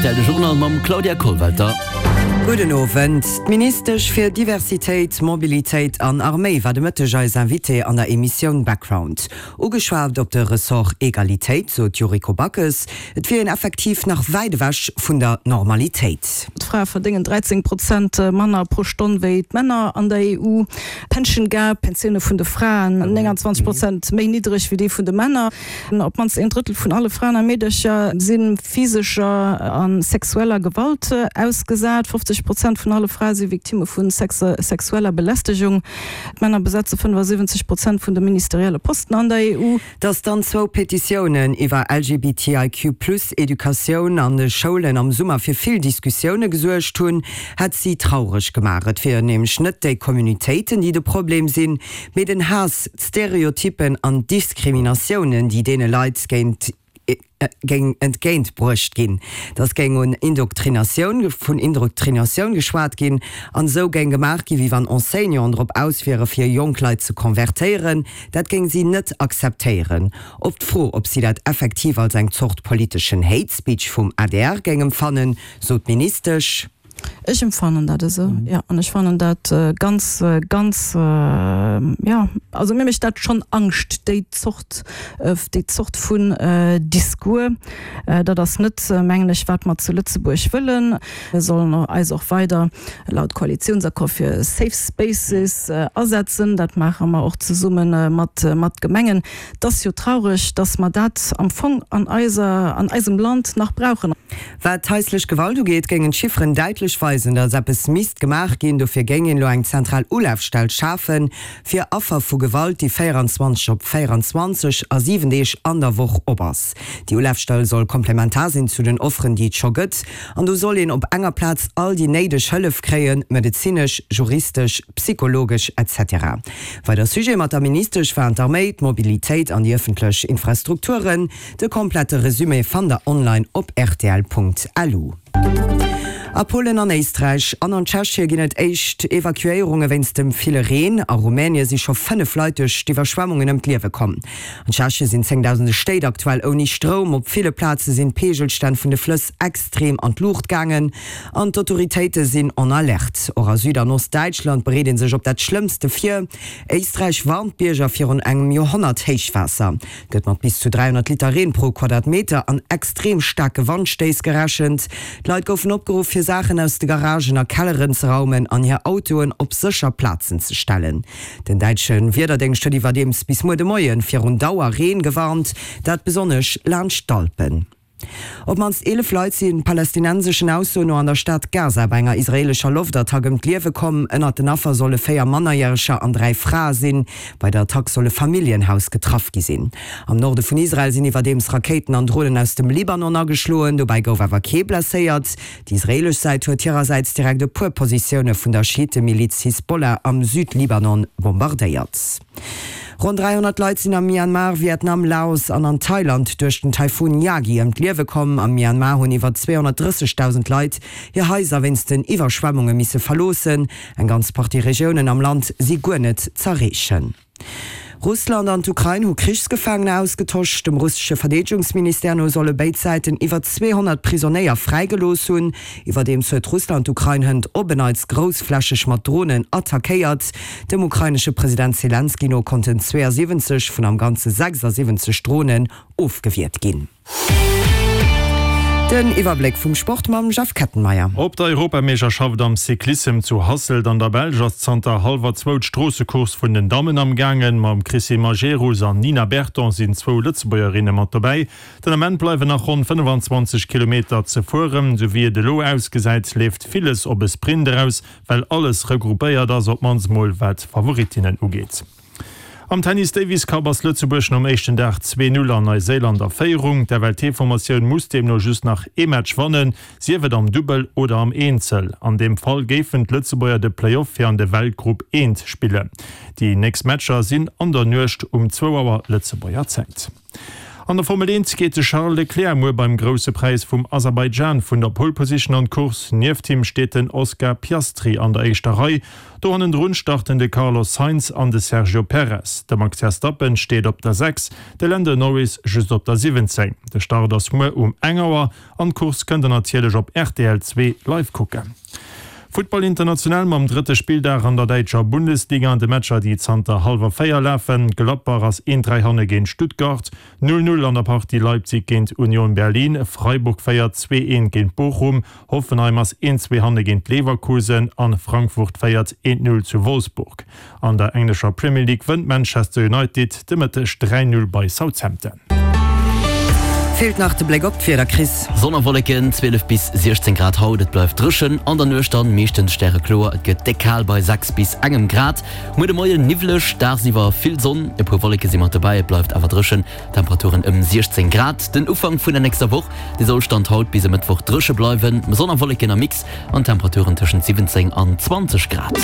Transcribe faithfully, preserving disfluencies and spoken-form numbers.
R T L de Journal mam Claudia Kollwelter. Gudden Owend. D'Ministesch fir Diversitéit, Mobilitéit an Arméi war de Mëtteg eis Invitée an der Emissioun Background. Ugeschwat op de Ressort Egalitéit, sot d'Yuriko Backes, et wier een effektiv nach wäit ewech vun der Normalitéit. D'Frae verdéngen dräizéng Prozent manner pro Stonn wéi d'Männer an der E U. Pension Gap, Pensioune vun de Fraen nénganzwanzeg Prozent méi niddreg wéi déi vun de Männer. Op d'mannst een Drëttel vun alle Fraen a Meedercher si physescher a sexueller Gewalt ausgesat. fofzeg Prozent vun alle Frae si Victimme vu sexueller Belästegung. D'Männer besetze fënnefasiwwenzeg Prozent vun de ministerielle Posten an der E U. Datt dann zwou Petitiounen iwwer L G B T I Q plus Educatioun an de Schoulen am Summer fir vill Diskussioune gesuergt hunn, hätt si traureg gemaach. Et wieren nämlech net déi Communautéiten, déi de Problem sinn, mee den Haass, d'Stereotyppen an d'Diskriminatiounen, déi deene Leit géint géing entgéint bruecht ginn. Dass géing un Indoktrinatioun vun Indoktrinatioun geschwat ginn an esou géing gemaach ginn, wéi wann Enseignanten drop aus wiere fir jonk Leit ze konvertéieren. Dat géing si net akzeptéieren. Op d'Fro, ob si dat effektiv als eng Zort politeschen Hate Speech vum A D R géing empfannen, sot d'Ministesch: Ech empfannen dat esou, jo, an ech fannen dat ganz, ganz, jo, also mir mécht dat schonn Angscht, déi Zort, déi Zort vun Discours. Dat ass net, mengen ech, wat mer zu Lëtzebuerg wëllen. Mir sollen eis och weider laut Koalitiounsaccord fir Safe Spaces asetzen. Dat maache mer och zesumme mat, mat Gemengen. Et ass jo traureg, dass mer dat am Fong an eiser, an eisem Land nach brauchen. Wat haislech Gewalt ugeet, géingen d'Chifferen däitlech weisen, datt eppes misst gemaach ginn. Dofir géing een elo eng zentral Ulafstell schafen, fir Affer vu Gewalt, déi véieranzwanzeg op véieranzwanzeg a siwen Deeg an der Woch op ass. Déi Ulafstell soll komplementar sinn zu den Offeren, déi et scho gëtt, an do soll een op enger Plaz all déi néideg Hëllef kréien, medezinesch, juristesch, psychologesch et cetera. Weider Sujete mat der Ministesch waren d'Arméi, d'Mobilitéit an déi ëffentlech Infrastrukturen. De komplette Resumé fannt der online op R T L Punkt L U. A Polen, an Éisträich an an Tschechie ginn et éischt Evakuéierunge wéinst dem ville Reen. A Rumänie si scho fënnef Leit duerch d'Iwwerschwemmungen ëm d'Liewe komm. An Tschechie sinn zéngdausende Stéit aktuell ouni Stroum. Op ville Plaze sinn d'Peegelstänn vun de Flëss extrem an d'Luucht gaangen an d'Autoritéite sinn en Alerte. Och a Süd an Ostdäitschland bereet ee sech op dat Schlëmmste vir. Éisträich warnt d'Bierger virun engem Joerhonnert-Héichwaasser. Et gëtt mat bis zu dräihonnert Liter Reen pro Quadratmeter an extrem staarke Wandstéiss gerechent. D'Leit goufen opgeruff, fir Saachen aus de Garagen a Kelleren ze raumen an hir Autoen op sécher Plazen ze stellen. Den däitsche Wiederdéngscht huet iwwerdeems bis muer de Moie virun Dauerreen gewarnt, dat besonnesch laanscht d'Alpen. Op d'mannst eelef Leit si palästinenseschen Aussoen no an der Stad Gaza bei enger israeelescher Loftattack ëm d'Liewe komm. Ënnert den Affer solle véier Mannerjäreger an dräi Frae sinn. Bei der Attack soll e Familljenhaus getraff gi sinn. Am Norde vun Israel sinn iwwerdeems Rakéiten an Dronen aus dem Libanon ageschloen, dobäi gouf awer kee blesséiert. Déi israeelesch Säit huet hirersäits direkt e puer Positioune vun der Schiittemiliz Hisbollah am Südlibanon bombardéiert. Ronn dräihonnert Leit sinn am Myanmar, Vietnam, Laos an an Thailand duerch den Taifun Yagi ëm d'Liewe komm. Am Myanmar hunn iwwer zweehonnertdrëssegdausend Leit hir Haiser wéinst den Iwwerschwemmunge misse verloossen. Eng ganz Partie Regiounen am Land si guer net z'erreechen. Russland an d'Ukrain hu Krichsgefaangener ausgetosch. Dem russesche Verdeedegungsministère no solle béid Säiten iwwer zweehonnert Prisonéier fräigelooss hunn. Iwwerdeems huet Russland d'Ukrain hënt op en Neits groussflächeg mat Dronen attackéiert. Dem ukrainesche President Selenskyj no konnten zweeësiwwenzeg vun am Ganze sechsasiwwenzeg Dronen ofgewiert ginn. Den Iwwerbléck vum Sport mam Jeff Kettenmeyer. Op der Europameeschterschaft am Cyclissem zu Hasselt an der Belsch ass zanter hallwer zwou d'Stroossecourse vun den Dammen am gaangen. Mam Chrissy Majerus an Nina Berton sinn zwou Lëtzebuergerinne mat dobäi. Den Ament bleiwen nach ronn fënnefenzwanzeg Kilometer ze fueren. Sou wéi et elo ausgesäit, leeft villes op e Sprint eraus, well alles regroupéiert ass, op d'mannst mol wat d'Favoritinnen ugeet. Am Tennis Davis Cup ass Lëtzebuerg nom éischten Dag zwee Null an Neuséiland a Féierung. D'F L T-Formatioun muss deemno just nach ee Match wannen, sief et am Dubbel oder am Eenzel. An deem Fall géifen d'Lëtzebuerger de Playoff fir an de Weltgrupp eent spillen. Déi nächst Matcher sinn an der Nuecht um zwou Auer Lëtzebuerger Zäit. An der Formel eent geet de Charles Leclerc muer beim Grousse Präis vum Aserbaidschan vun der Pole Position an d'Course. Nieft him steet den Oscar Piastri an der éischter Rei. Do hannendrun starten de Carlos Sainz an de Sergio Perez. De Max Verstappen steet op der sechs, de Lando Norris just op der siwwenzéng. De Start ass muer um eng Auer an d'Course kënnt der natierlech op rtl zwee live kucken. Futtball international mam drëtte Spilldag an der däitscher Bundesliga an de Matcher déi zanter hallwer véier lafen. Gladbach ass een dräi hanne géint Stuttgart, null null an der Partie Leipzig géint Union Berlin, Freiburg féiert zwee eent géint Bochum, Hoffenheim ass een zwee hanne géint Leverkusen an Frankfurt féiert eent null zu Wolfsburg. An der englescher Premier League wënnt Manchester United de Mëtteg dräi null bei Southampton. Feelt nach de Bléck op d'Wieder, Chris. Sonn a Wolleken, zwielef bis siechzéng Grad haut, et bleift dréchen, an der Nuecht dann meeschtens stärekloer, et gëtt déck kal bei sechs bis engem Grad. Muer de Moien niwwleg, dagsiwwer vill Sonn, e puer Wolleke si mat dobäi, et bleift awer dréchen, Temperaturen ëm siechzéng Grad. Den Ufank vun der nächster Woch, dee soll Stand haut bis e Mëttwoch dréche bleiwen, Sonn a Wolleken am Mix an Temperaturen tëschent siwwenzéng an zwanzeg Grad.